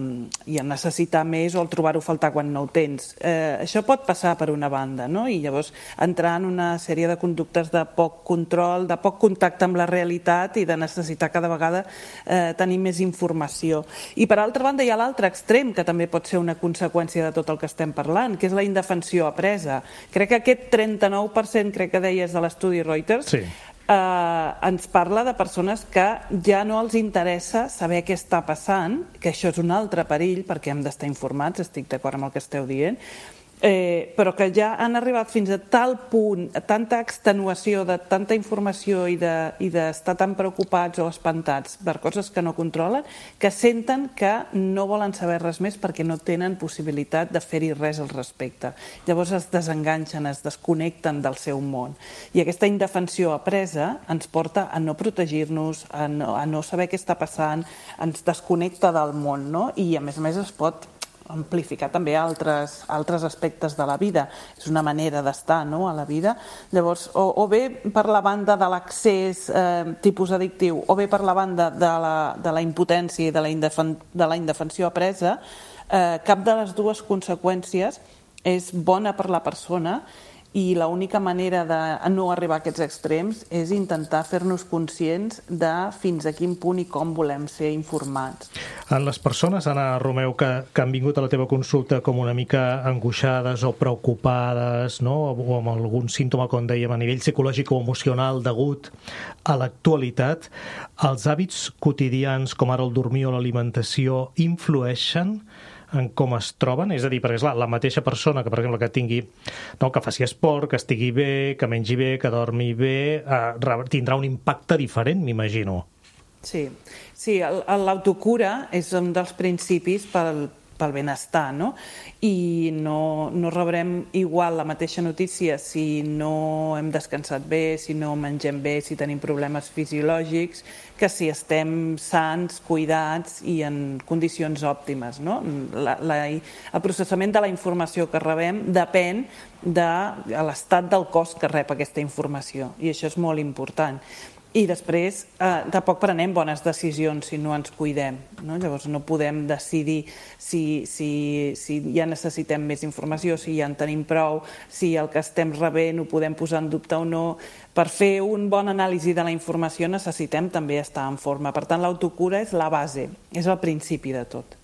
i el necessitar més o el trobar-ho a faltar quan no ho tens. Eh, això pot passar per una banda, no? I llavors entrar en una sèrie de conductes de poc control, de poc contacte amb la realitat i de necessitar cada vegada eh, tenir més informació. I per altra banda hi ha l'altre extrem, que també pot ser una conseqüència de tot el que estem parlant, que és la indefensió apresa. Crec que aquest trenta-nou per cent, crec que deies, de l'estudi Reuters, sí. eh, ens parla de persones que ja no els interessa saber què està passant, que això és un altre perill, perquè hem d'estar informats, estic d'acord amb el que esteu dient, Eh, però que ja han arribat fins a tal punt, a tanta extenuació de tanta informació i d'estar de, tan preocupats o espantats per coses que no controlen, que senten que no volen saber res més perquè no tenen possibilitat de fer-hi res al respecte. Llavors es desenganxen, es desconnecten del seu món. I aquesta indefensió apresa ens porta a no protegir-nos, a no, a no saber què està passant, ens desconnecta del món, no? I a més a més es pot amplificar també altres, altres aspectes de la vida. És una manera d'estar, no?, a la vida. Llavors, o, o bé per la banda de l'accés eh, tipus addictiu, o bé per la banda de la, de la impotència i de la, indefen, de la indefensió apresa, eh, cap de les dues conseqüències és bona per la persona i l'única manera de no arribar a aquests extrems és intentar fer-nos conscients de fins a quin punt i com volem ser informats. En les persones, Anna Romeu, que, que han vingut a la teva consulta com una mica angoixades o preocupades, no?, o amb algun símptoma, com dèiem, a nivell psicològic o emocional degut a l'actualitat, els hàbits quotidians, com ara el dormir o l'alimentació, influeixen en com es troben? És a dir, perquè, esclar, la mateixa persona que, per exemple, que tingui, no, que faci esport, que estigui bé, que mengi bé, que dormi bé, eh, tindrà un impacte diferent, m'imagino. Sí, sí, l'autocura és un dels principis pel, pel benestar, no? I no, no rebrem igual la mateixa notícia si no hem descansat bé, si no mengem bé, si tenim problemes fisiològics, que si estem sants, cuidats i en condicions òptimes, no? La, la, el processament de la informació que rebem depèn de l'estat del cos que rep aquesta informació, i això és molt important. I després eh, tampoc prenem bones decisions si no ens cuidem, no? Llavors no podem decidir si, si, si ja necessitem més informació, si ja en tenim prou, si el que estem rebent ho podem posar en dubte o no. Per fer un bon anàlisi de la informació necessitem també estar en forma. Per tant, l'autocura és la base, és el principi de tot.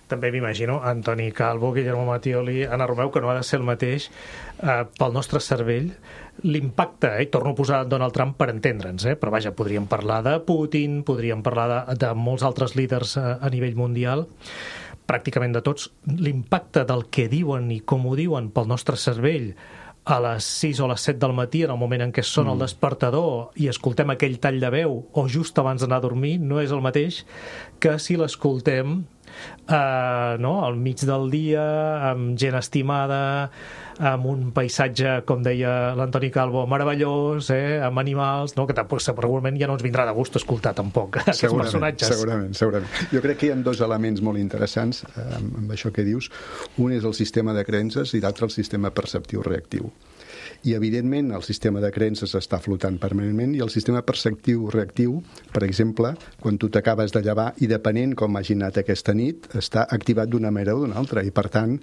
També m'imagino, Antoni Calvo, Guillermo Mattioli, Anna Romeu, que no ha de ser el mateix eh, pel nostre cervell, l'impacte, eh, torno a posar Donald Trump per entendre'ns, eh, però vaja, podríem parlar de Putin, podríem parlar de, de molts altres líders a, a nivell mundial, pràcticament de tots, l'impacte del que diuen i com ho diuen pel nostre cervell a les sis o les set del matí, en el moment en què sona el despertador i escoltem aquell tall de veu, o just abans d'anar a dormir, no és el mateix que si l'escoltem Uh, no? al mig del dia, amb gent estimada, amb un paisatge, com deia l'Antoni Calvo, meravellós, eh? amb animals, no? que tampoc, segurament ja no ens vindrà de gust escoltar tampoc aquests segurament, personatges. Segurament, segurament. Jo crec que hi ha dos elements molt interessants eh, amb això que dius. Un és el sistema de creences i l'altre el sistema perceptiu-reactiu. I, evidentment, el sistema de creences està flotant permanentment i el sistema perceptiu-reactiu, per exemple, quan tu t'acabes de llevar i depenent com hagi anat aquesta nit, està activat d'una manera o d'una altra. I, per tant,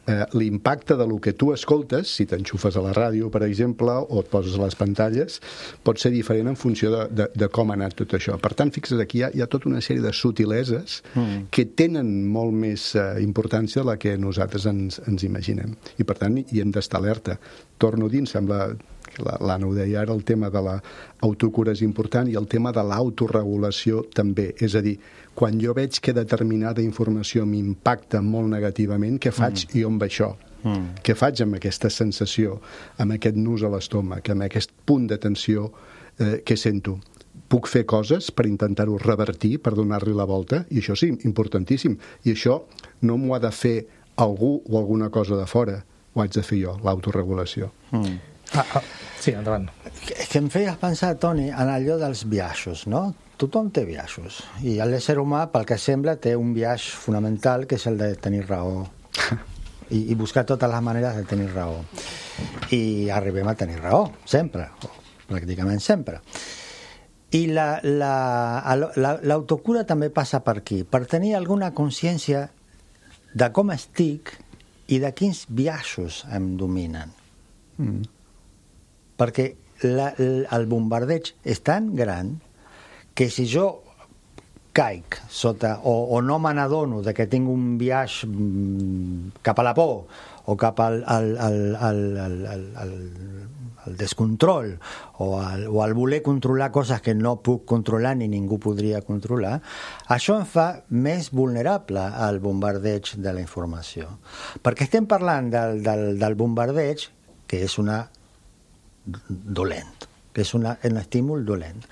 eh, l'impacte de lo que tu escoltes, si t'enxufes a la ràdio, per exemple, o et poses a les pantalles, pot ser diferent en funció de, de, de com ha anat tot això. Per tant, fixa't, aquí hi ha, hi ha tota una sèrie de subtileses mm. que tenen molt més eh, importància de la que nosaltres ens, ens imaginem. I, per tant, hi hem d'estar alerta. Torno a dir, em sembla que l'Anna ho deia ara, el tema de l'autocura és important i el tema de l'autoregulació també. És a dir, quan jo veig que determinada informació m'impacta molt negativament, què faig mm. i on va això? Mm. Què faig amb aquesta sensació, amb aquest nus a l'estómac, amb aquest punt de tensió eh, que sento? Puc fer coses per intentar-ho revertir, per donar-li la volta? I això sí, importantíssim. I això no m'ho ha de fer algú o alguna cosa de fora, ho haig de fer jo, l'autoregulació. Mm. Ah, ah, sí, endavant. És que em feies pensar, Toni, en allò dels biaixos, no? Tothom té biaixos. I l'ésser humà, pel que sembla, té un biaix fonamental, que és el de tenir raó. I, i buscar totes les maneres de tenir raó. I arribem a tenir raó, sempre, o pràcticament sempre. I l'autocura la, la, també passa per aquí, per tenir alguna consciència de com estic i de quins biaixos em dominen. Mm. Perquè la, el bombardeig és tan gran que si jo caic sota, o, o no me n'adono de que tinc un biaix cap a la por o cap al, al, al, al, al, al, al descontrol o al, o al voler controlar coses que no puc controlar ni ningú podria controlar, això em fa més vulnerable al bombardeig de la informació. Perquè estem parlant del, del, del bombardeig, que és una dolent, que és una, un estímul dolent.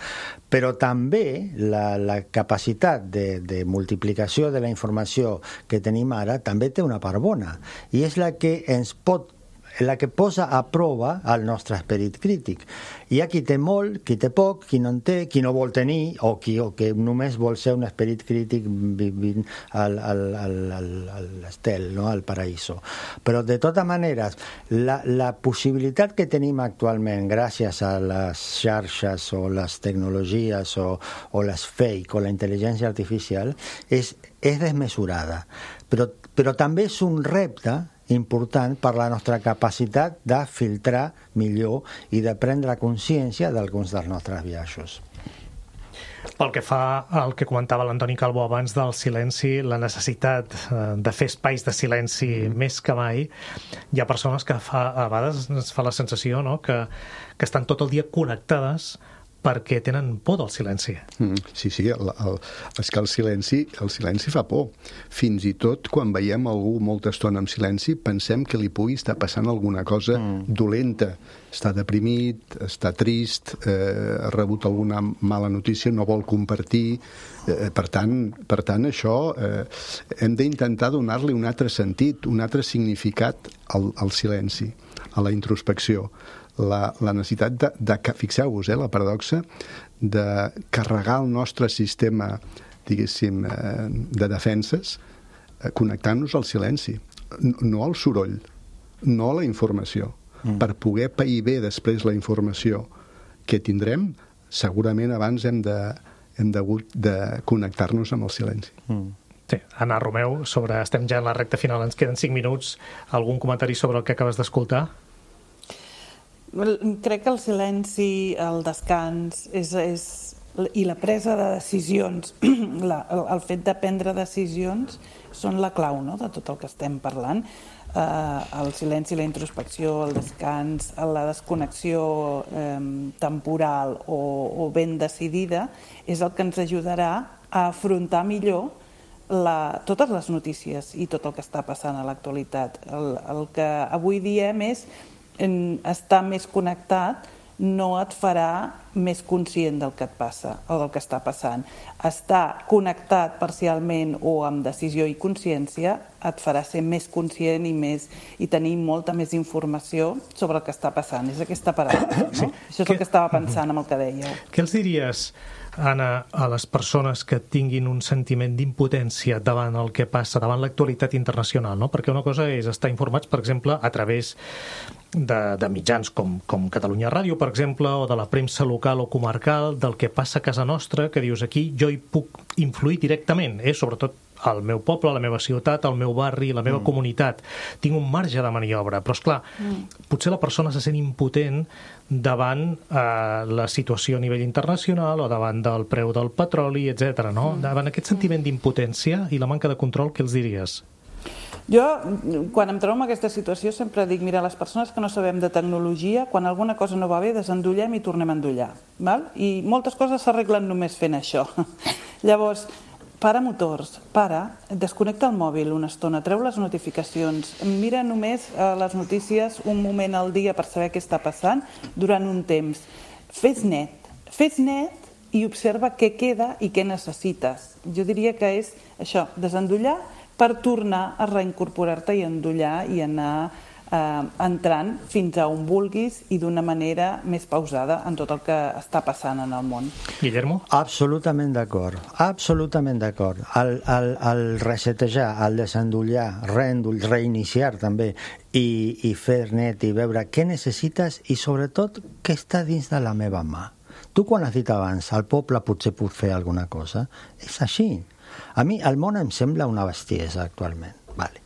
Però també la, la capacitat de, de multiplicació de la informació que tenim ara també té una part bona, i és la que ens pot la que posa a prova el nostre esperit crític. Hi ha qui té molt, qui té poc, qui no en té, qui no vol tenir, o qui o que només vol ser un esperit crític vivint al, al, al, al, al estel, no? Al paraíso. Però de totes maneres, la, la possibilitat que tenim actualment gràcies a les xarxes o les tecnologies o, o les fake o la intel·ligència artificial és, és desmesurada. Però, però també és un repte important per la nostra capacitat de filtrar millor i de prendre consciència d'alguns dels nostres biaixos. Pel que fa al que comentava l'Antoni Calvo abans del silenci, la necessitat de fer espais de silenci mm. més que mai, hi ha persones que fa, a vegades es fa la sensació, no?, que, que estan tot el dia connectades perquè tenen por del silenci. Mm, sí, sí, el, el, és que el silenci, el silenci fa por. Fins i tot quan veiem algú molta estona en silenci pensem que li pugui estar passant alguna cosa mm. dolenta. Està deprimit, està trist, eh, ha rebut alguna mala notícia, no vol compartir. Eh, per tant, per tant, això eh, hem d'intentar donar-li un altre sentit, un altre significat al, al silenci, a la introspecció. La, la necessitat de, de fixeu-vos, eh, la paradoxa de carregar el nostre sistema, diguéssim, eh, de defenses eh, connectant-nos al silenci, no, no al soroll, no a la informació. Mm. Per poder pair bé després la informació que tindrem, segurament abans hem de, hem hagut de connectar-nos amb el silenci. Mm. Sí, Anna Romeu, sobre, estem ja en la recta final, ens queden cinc minuts. Algun comentari sobre el que acabes d'escoltar? Crec que el silenci, el descans és, és, i la presa de decisions, la, el, el fet de prendre decisions són la clau, no?, de tot el que estem parlant. Eh, el silenci, la introspecció, el descans, la desconnexió eh, temporal o, o ben decidida és el que ens ajudarà a afrontar millor la, totes les notícies i tot el que està passant a l'actualitat. El, el que avui diem és en estar més connectat no et farà més conscient del que et passa o del que està passant. Estar connectat parcialment o amb decisió i consciència et farà ser més conscient i, més, i tenir molta més informació sobre el que està passant. És aquesta paraula, no? Sí. Això és que... el que estava pensant amb el que dèieu. Què els diries, Anna, a les persones que tinguin un sentiment d'impotència davant el que passa, davant l'actualitat internacional, no? Perquè una cosa és estar informats, per exemple, a través de, de mitjans com, com Catalunya Ràdio, per exemple, o de la premsa local o comarcal, del que passa a casa nostra, que dius aquí jo hi puc influir directament, eh? Sobretot al meu poble, a la meva ciutat, al meu barri, a la meva mm. comunitat. Tinc un marge de maniobra, però, esclar, mm. potser la persona se sent impotent davant eh, la situació a nivell internacional o davant del preu del petroli, etcètera, no? Mm. Davant aquest sentiment d'impotència i la manca de control, què els diries? Jo, quan em trobo en aquesta situació, sempre dic, mira, les persones que no sabem de tecnologia, quan alguna cosa no va bé, desendollem i tornem a endollar. Val? I moltes coses s'arreglen només fent això. Llavors, para motors, para, desconnecta el mòbil una estona, treu les notificacions, mira només les notícies un moment al dia per saber què està passant durant un temps. Fes net, fes net i observa què queda i què necessites. Jo diria que és això, desendollar per tornar a reincorporar-te i endollar i anar eh, entrant fins a on vulguis i d'una manera més pausada en tot el que està passant en el món. Guillermo? Absolutament d'acord, absolutament d'acord. El, el, el resetejar, el desendollar, reendoll, reiniciar també i, i fer net i veure què necessites i sobretot què està dins de la meva mà. Tu quan has dit abans, el poble potser pot fer alguna cosa, és així. A mi el món em sembla una bestiesa actualment, vale,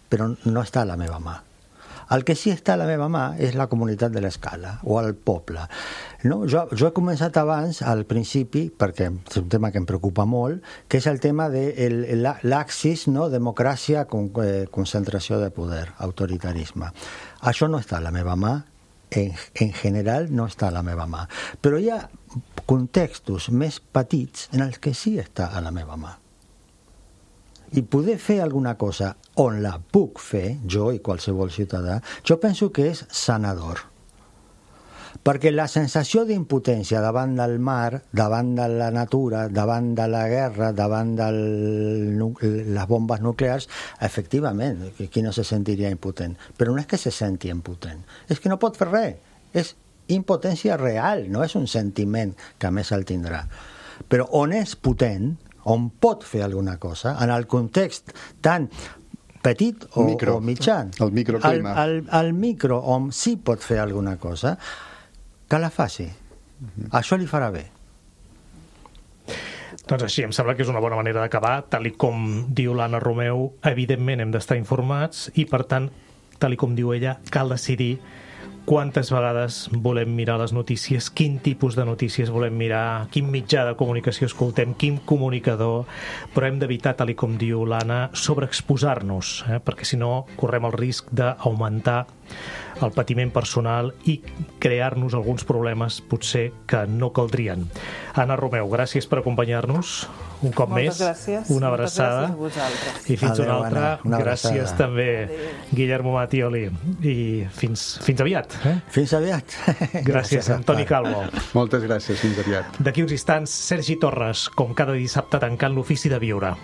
però no està a la meva mà. El que sí està a la meva mà és la comunitat de l'escala o el poble. No? Jo, jo he començat abans, al principi, perquè és un tema que em preocupa molt, que és el tema de l'axis, no? Democràcia, con, eh, concentració de poder, autoritarisme. Això no està a la meva mà, en, en general no està a la meva mà. Però hi ha contextos més petits en els que sí està a la meva mà. I poder fer alguna cosa on la puc fer, jo i qualsevol ciutadà, jo penso que és sanador. Perquè la sensació d'impotència davant del mar, davant de la natura, davant de la guerra, davant de les bombes nuclears, efectivament, qui no se sentiria impotent? Però no és que se senti impotent, és que no pot fer res. És impotència real, no és un sentiment que a més el tindrà. Però on és potent, on pot fer alguna cosa, en el context tan petit o, micro, o mitjà, el microclima, el, el, el micro on sí pot fer alguna cosa, que la faci. Uh-huh. Això li farà bé. Doncs així, em sembla que és una bona manera d'acabar. Tal i com diu l'Anna Romeu, evidentment hem d'estar informats i, per tant, tal i com diu ella, cal decidir quantes vegades volem mirar les notícies, quin tipus de notícies volem mirar, quin mitjà de comunicació escoltem, quin comunicador, però hem d'evitar, tal i com diu l'Anna, sobreexposar-nos, eh? perquè si no correm el risc d'augmentar el patiment personal i crear-nos alguns problemes potser que no caldrien. Anna Romeu, gràcies per acompanyar-nos un cop Moltes més, gràcies. una Moltes abraçada gràcies a vosaltres. i fins Adeu, una altra. Anna, una gràcies abraçada. també Adeu. Guillermo Mattioli i fins, fins aviat. Eh? Fins aviat. Gràcies, Gràcies, Antoni Calvo. Moltes gràcies, fins aviat. D'aquí uns instants, Sergi Torres, com cada dissabte tancant l'ofici de viure.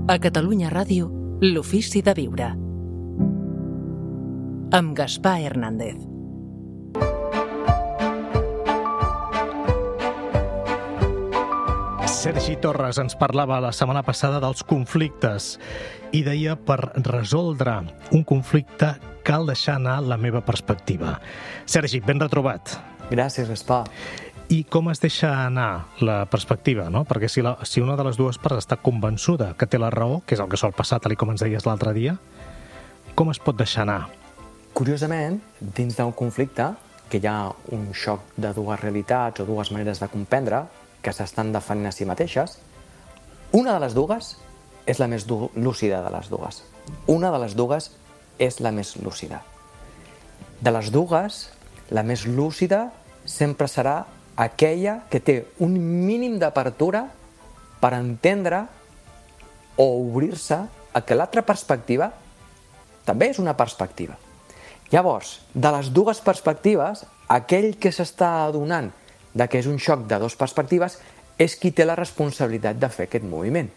A Catalunya Ràdio, l'ofici de viure. Amb Gaspar Hernández. Sergi Torres ens parlava la setmana passada dels conflictes i deia, per resoldre un conflicte cal deixar anar la meva perspectiva. Sergi, ben retrobat. Gràcies, Gaspar. I com es deixa anar la perspectiva, no? Perquè si, la, si una de les dues parts està convençuda que té la raó, que és el que sol passar, tal com ens deies l'altre dia, com es pot deixar anar? Curiosament, dins d'un conflicte, que hi ha un xoc de dues realitats o dues maneres de comprendre que s'estan defenent a si mateixes, una de les dues és la més lúcida de les dues. Una de les dues és la més lúcida. De les dues, la més lúcida sempre serà aquella que té un mínim d'apertura per entendre o obrir-se a que l'altra perspectiva també és una perspectiva. Llavors, de les dues perspectives, aquell que s'està adonant de que és un xoc de dues perspectives és qui té la responsabilitat de fer aquest moviment.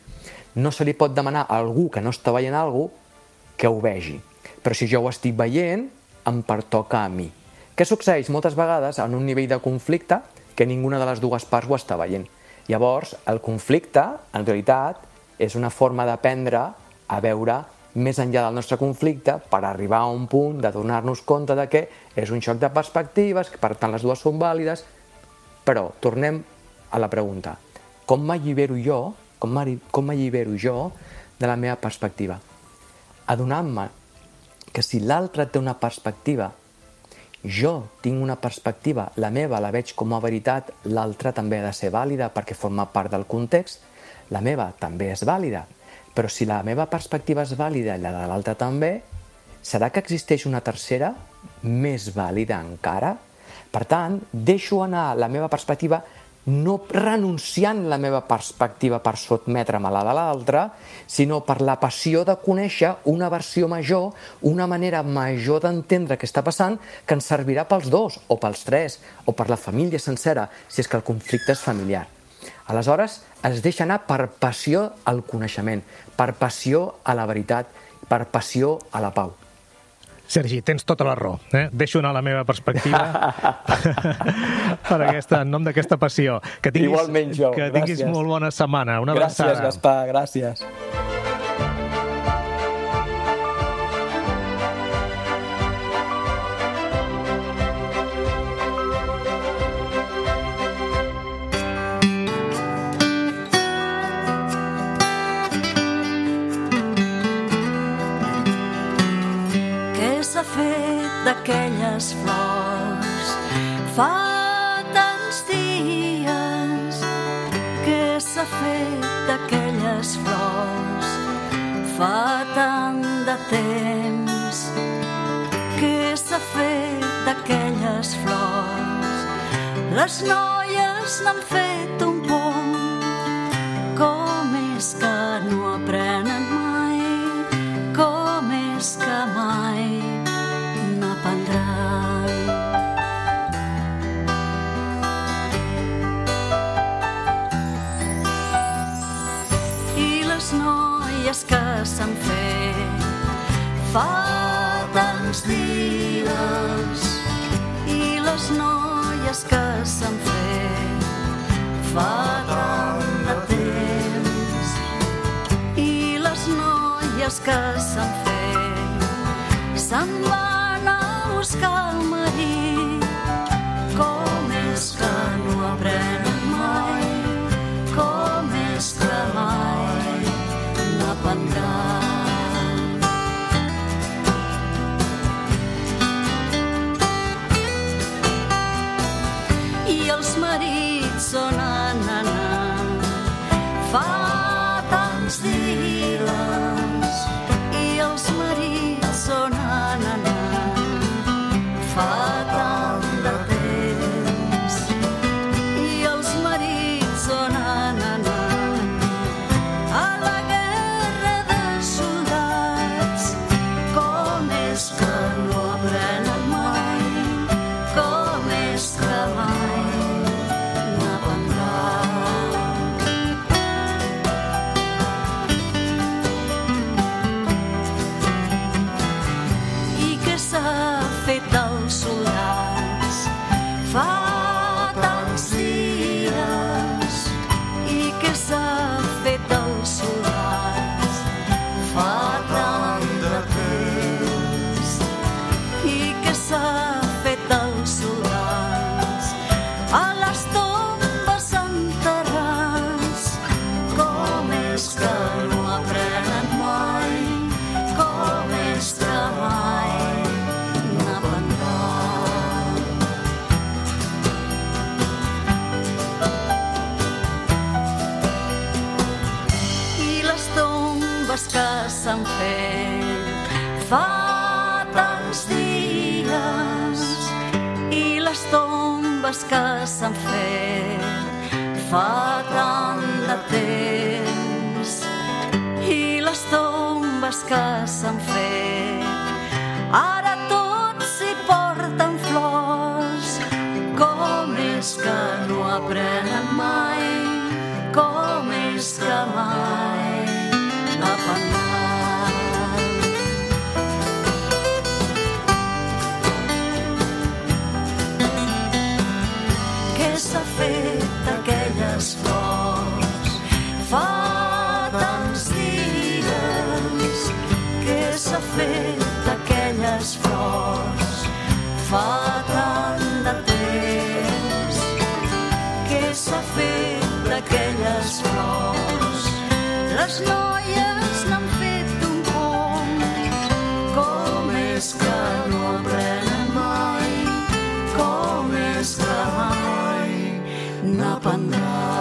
No se li pot demanar a algú que no està veient alguna cosa que ho vegi. Però si jo ho estic veient, em pertoca a mi. Què succeeix moltes vegades en un nivell de conflicte que ninguna de les dues parts ho està veient? Llavors, el conflicte, en realitat, és una forma d'aprendre a veure més enllà del nostre conflicte per arribar a un punt de donar-nos compte de que és un xoc de perspectives, que per tant les dues són vàlides, però tornem a la pregunta. Com m'allibero jo, com m'allibero jo de la meva perspectiva? Adonant-me que si l'altre té una perspectiva, jo tinc una perspectiva, la meva la veig com a veritat, l'altra també ha de ser vàlida perquè forma part del context, la meva també és vàlida, Però si la meva perspectiva és vàlida i la de l'altre també, serà que existeix una tercera més vàlida encara? Per tant, deixo anar la meva perspectiva no renunciant la meva perspectiva per sotmetre'm a la de l'altra, sinó per la passió de conèixer una versió major, una manera major d'entendre què està passant, que ens servirà pels dos, o pels tres, o per la família sencera, si és que el conflicte és familiar. Aleshores, es deixa anar per passió al coneixement, per passió a la veritat, per passió a la pau. Sergi, tens tota la raó. Eh? Deixo anar la meva perspectiva per aquesta, en nom d'aquesta passió. Que tinguis, Igualment jo, que tinguis gràcies. Molt bona setmana. Una gràcies, abraçada. Gaspar, gràcies. S'ha fet d'aquelles flors fa tants dies, que s'ha fet d'aquelles flors fa tant de temps, que s'ha fet d'aquelles flors. Les noies n'han fet un pont, com és que no aprenen mai, com és que mai que s'han fet fa tants dies, i les noies que s'han fet fa tant de temps, i les noies que s'han fet se'n van a buscar el marit. Com és que no aprenen mai, com és que mai i els marits són anant fa tants dies, i els marits són anant fa tant de temps, i els marits són anant a la guerra de soldats. Com és que no aprenen mai, com és que mai n'aprendran. I què s'ha fet als soldats fa tants dies, i què s'ha fet als soldats fa tant de temps, i què s'ha fet als soldats a les tombes enterrats. Com és que no aprenen mai, com és que mai n'aprendran. I les tombes que s'han fet fa tants dies, i les tombes que s'han fet fa tant de temps, i les tombes que s'han fet ara tots hi porten flors. Com és que no aprenen mai, com és que mai n'aprendran. Què s'ha fet d'aquelles flors fa tants dies, què s'ha fet d'aquelles flors fa tant de temps, què s'ha fet d'aquelles flors. Les noies n'han fet un pont, com és que no aprenen mai, com és que mai n'aprendran.